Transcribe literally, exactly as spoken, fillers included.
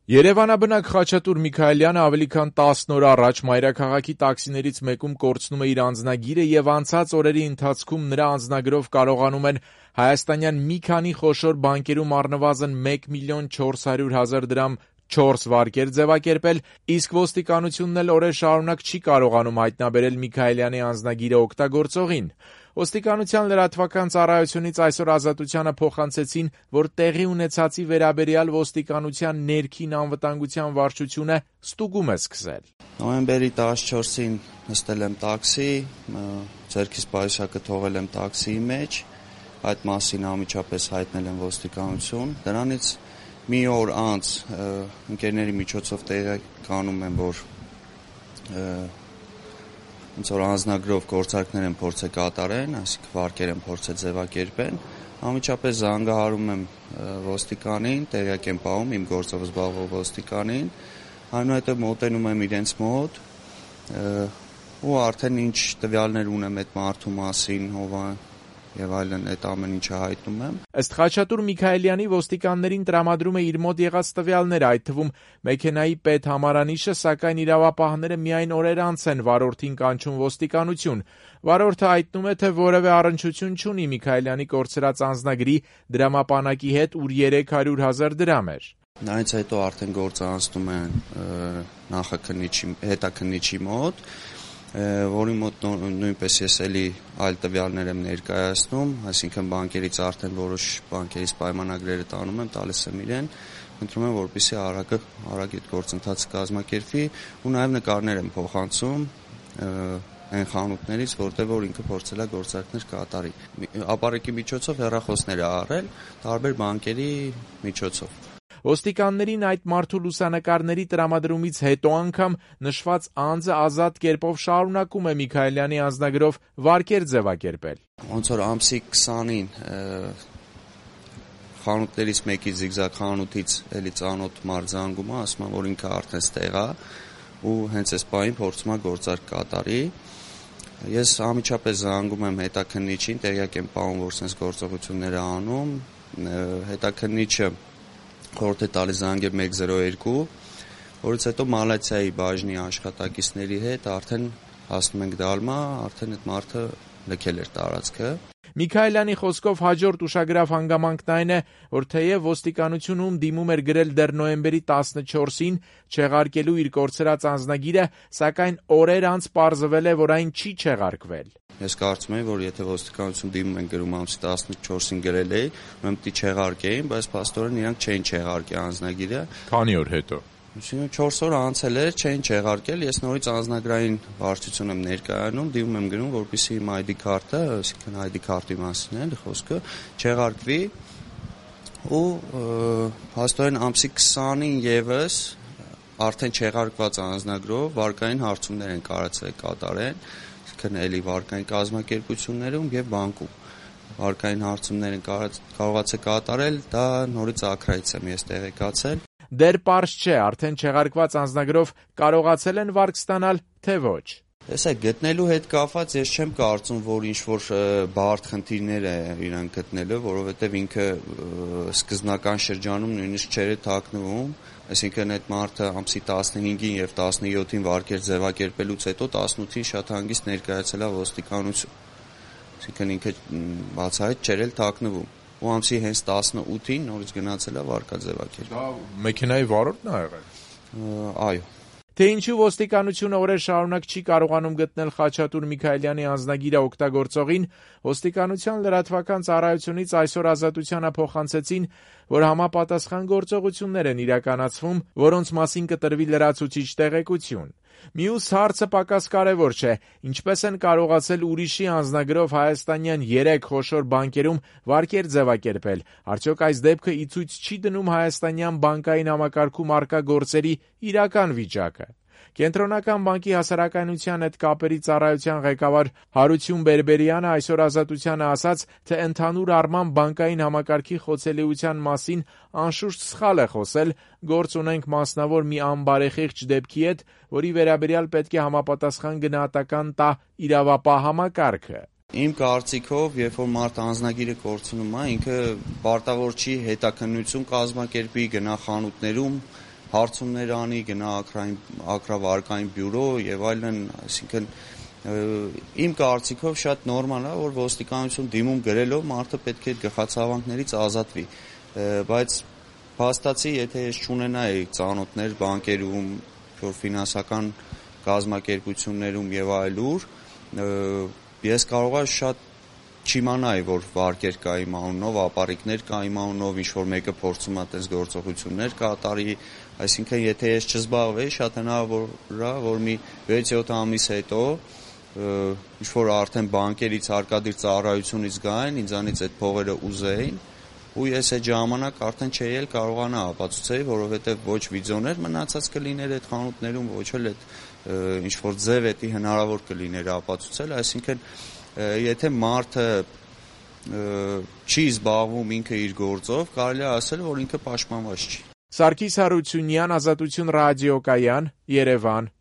Երևանաբնակ Խաչատուր Միքայելյանը ավելի քան տասն օր առաջ մայրաքաղաքի տաքսիներից մեկում կորցնում է իր անձնագիրը եւ անցած օրերի ընթացքում նրա անձնագրով կարողանում են հայաստանյան մի քանի խոշոր բանկերում առնվազն մեկ միլիոն չորս հարյուր հազար դրամ չորս վարկեր ձևակերպել, իսկ ոստիկանությունն էլ օրեր շարունակ չի կարողանում հայտնաբերել Միքայելյանի անձնագիրը օգտագործողին։ Ոստիկանության լրատվական ծառայությունից այսօր Ազատությանը փոխանցեցին, որ տեղի ունեցածի վերաբերյալ ոստիկանության ներքին անվտանգության վարչությունը ստուգում է սկսել։ Նոյեմբերի տասնչորսին նստել եմ տաքսի, ձեռքիս պայուսակը թողել եմ տաքսիի մեջ, այդ մասին անմիջապես հայտնել եմ ոստիկանություն, դրանից մի օր անց ընկերների միջոցով տեղեկանում եմ, որ ոնց որ անձնագրով գործարքներ են փորձել կատարեն, այսինքն վարկեր են փորձել ձևակերպեն, անմիջապես զանգահարում եմ ոստիկանին, տեղյակ եմ պահում իմ գործով զբաղվող ոստիկանին, այնուհետև մոտենում եմ իրենց մոտ ու արդեն ինչ տվյալներ ունեմ այդ մարդու մասին, ով է եւ այլն, այդ ամեն ինչը հայտնում եմ։ Ըստ Խաչատուր Միքայելյանի ոստիկաններին տրամադրում է իր մոտ եղած տվյալները, այդ թվում մեքենայի պետհամարանիշը, սակայն իրավապահները միայն օրեր անց են վարորդին կանչում ոստիկանություն։ Վարորդը հայտնում է, թե որևէ առնչություն չունի Միքայելյանի կորցրած անձնագրի դրամապանակի հետ, ուր երեք հարյուր հազար դրամ էր։ Դրանից հետո արդեն գործը անցնում է նախաքննիչի, հետաքննիչի մոտ, որի մոտ նույնպես ես էլի այլ տվյալներ եմ ներկայացնում, այսինքն բանկերից արդեն որոշ բանկերից պայմանագրերը տանում եմ, տալիս եմ իրեն, ընտրում եմ, որպեսզի արագը արագ այդ գործընթացը կազմակերպվի ու նաև նկարներ եմ փոխանցում այն խանութներից, որտեղ որ ինքը փորձել է գործարքներ կատարի։ Ապարեկի միջոցով հեռախոսներ է առել տարբեր բանկերի միջոցով։ Ոստիկաններին այդ մարդու լուսանկարների տրամադրումից հետո անգամ նշված անձը ազատ կերպով շարունակում է Միքայելյանի անձնագրով վարկեր ձևակերպել։ Ոնց որ ամսի քսանին խանութներից մեկի զիգզագ խանութից էլի ծանոթ մարդ զանգում է, ասում է, որ ինքը արդեն ստեղ է ու հենց այս պահին փորձում է գործարք կատարի։ Ես անմիջապես զանգում եմ հետաքննիչին, տեղյակ եմ պահում, որ sense գործողություններ է անում, հետաքննիչը խորհուրդ է տալիս զանգել մեկ զրո երկու, որից հետո Մալացիայի բաժնի աշխատակիցների հետ արդեն հասնում ենք Դալմա, արդեն այդ մարդը լքել էր տարածքը։ Միքայելյանի խոսքով հաջորդ ուշագրավ հանգամանքն այն է, որ թեև ոստիկանությունում դիմում էր գրել դեռ նոյեմբերի տասնչորսին չեղարկելու իր կորցրած անձնագիրը, սակայն օրեր անց պարզվել է, որ այն չի չեղարկվել։ Ես կարծում եմ, որ եթե ոստիկանություն դիմում են գրում ամսի տասնչորսին գրել էի, ուրեմն պիտի չեղարկեին, բայց փաստորեն իրանք չէին չեղարկի անձնագիրը։ Քանի օր հետո։ չորս օր անցել էր, չէին չեղարկել, ես նորից անձնագրային վարչություն եմ ներկայանում, դիմում եմ գրում, որպեսզի իմ այ դի քարտը, այսինքն այ դի քարտի մասին է խոսքը, չեղարկվի ու փաստորեն ամսի քսանին եւս արդեն չեղարկված անձնագրով վարկային հարցումներ են կարծել կատարեն, այսինքն էլի վարկային կազմակերպություններում եւ բանկում։ Վարկային հարցումներ են կարողացել կատարել, դա նորից ակրայից եմ ես տեղեկացել։ Դեռ պարզ չէ, արդեն չեղարկված անձնագրով կարողացել են վարկ ստանալ, թե ոչ։ Տեսեք, գտնելու հետ կապված ես չեմ կարծում, որ ինչ-որ բարդ խնդիրներ է իրան գտնելը, որովհետև ինքը սկզբնական շրջանում նույնիսկ չէր թաքնվում, այսինքն այդ մարդը ամսի տասնհինգին եւ տասնյոթին վարկեր ձևակերպելուց հետո տասնութին շատ հանգիստ ներկայացել է ոստիկանություն, այսինքն ինքը բացահայտ չէր էլ թաքնվում։ Ու ամսի հենց տասնութին նորից գնացել է վարկա ձևակերպել։ Դա մեքենայի վարորդն է եղել։ Այո։ Թե ինչու ոստիկանությունը օրեր շարունակ չի կարողանում գտնել Խաչատուր Միքայելյանի անձնագիրը օգտագործողին, ոստիկանության լրատվական ծառայությունից այսօր Ազատությանը փոխանցեցին, որ համապատասխան գործողություններ են իրականացվում, որոնց մասին կտրվի լրացուցիչ տեղեկություն։ Մյուս հարցը պակաս կարևոր չէ, ինչպես են կարողացել ուրիշի անձնագրով հայաստանյան երեք խոշոր բանկերում վարկեր ձևակերպել, արդյոք այս դեպքը ի ցույց չի դնում հայաստանյան բանկային համակարգում առկա գործերի իրական վիճակը։ Կենտրոնական բանկի հասարակայնության հետ կապերի ծառայության ղեկավար Հարություն Բերբերյանը այսօր Ազատությանը ասաց, թե ընդհանուր առմամբ բանկային համակարգի խոցելիության մասին անշուշտ սխալ է խոսել, գործ ունենք մասնավոր մի անբարեխիղճ դեպքի հետ, որի վերաբերյալ պետք է համապատասխան գնահատական տա իրավապահ համակարգը։ Իմ կարծիքով, երբ որ մարդ անձնագիրը կորցնում է, ինքը պարտավոր չի հետաքննություն կազմակերպի, գնա խանութներում հարցումներ անի, գնա ակրավարկային բյուրո եւ այլն, այսինքն իմ կարծիքով շատ նորմալ է, որ ոստիկանություն դիմում գրելով մարդը պետք է այդ գլխացավանքներից ազատվի, բայց փաստացի, եթե ես չունենայի ծանոթներ բանկերում, որ ֆինանսական կազմակերպություններում եւ այլուր, ես կարող եմ շատ չիմանայի, որ վարկեր կա իմ անունով, ապառիկներ կա իմ անունով, ինչ-որ մեկը փորձում է այդպես գործողություններ կատարի, այսինքն եթե ես չզբաղվեի, շատ հնարավոր է, որ մի վեց-յոթ ամիս հետո ինչ-որ արդեն բանկերից հարկադիր ծառայությունից գային, ինձանից այդ փողերը ուզեին, ու ես այդ ժամանակ արդեն չէի էլ կարողանա ապացուցեի, որովհետև ոչ վիդեոներ մնացած կլիներ այդ խանութներում, ոչ էլ այդ ինչ-որ ձև էդի հնարավոր կլիներ ապացուցել, այսինքն եթե մարդը չի զբաղվում ինքը իր գործով, կարելի է ասել, որ ինքը պաշտպանված չի։ Սարգիս Հարությունյան, Ազատություն ռադիոկայան, Երևան։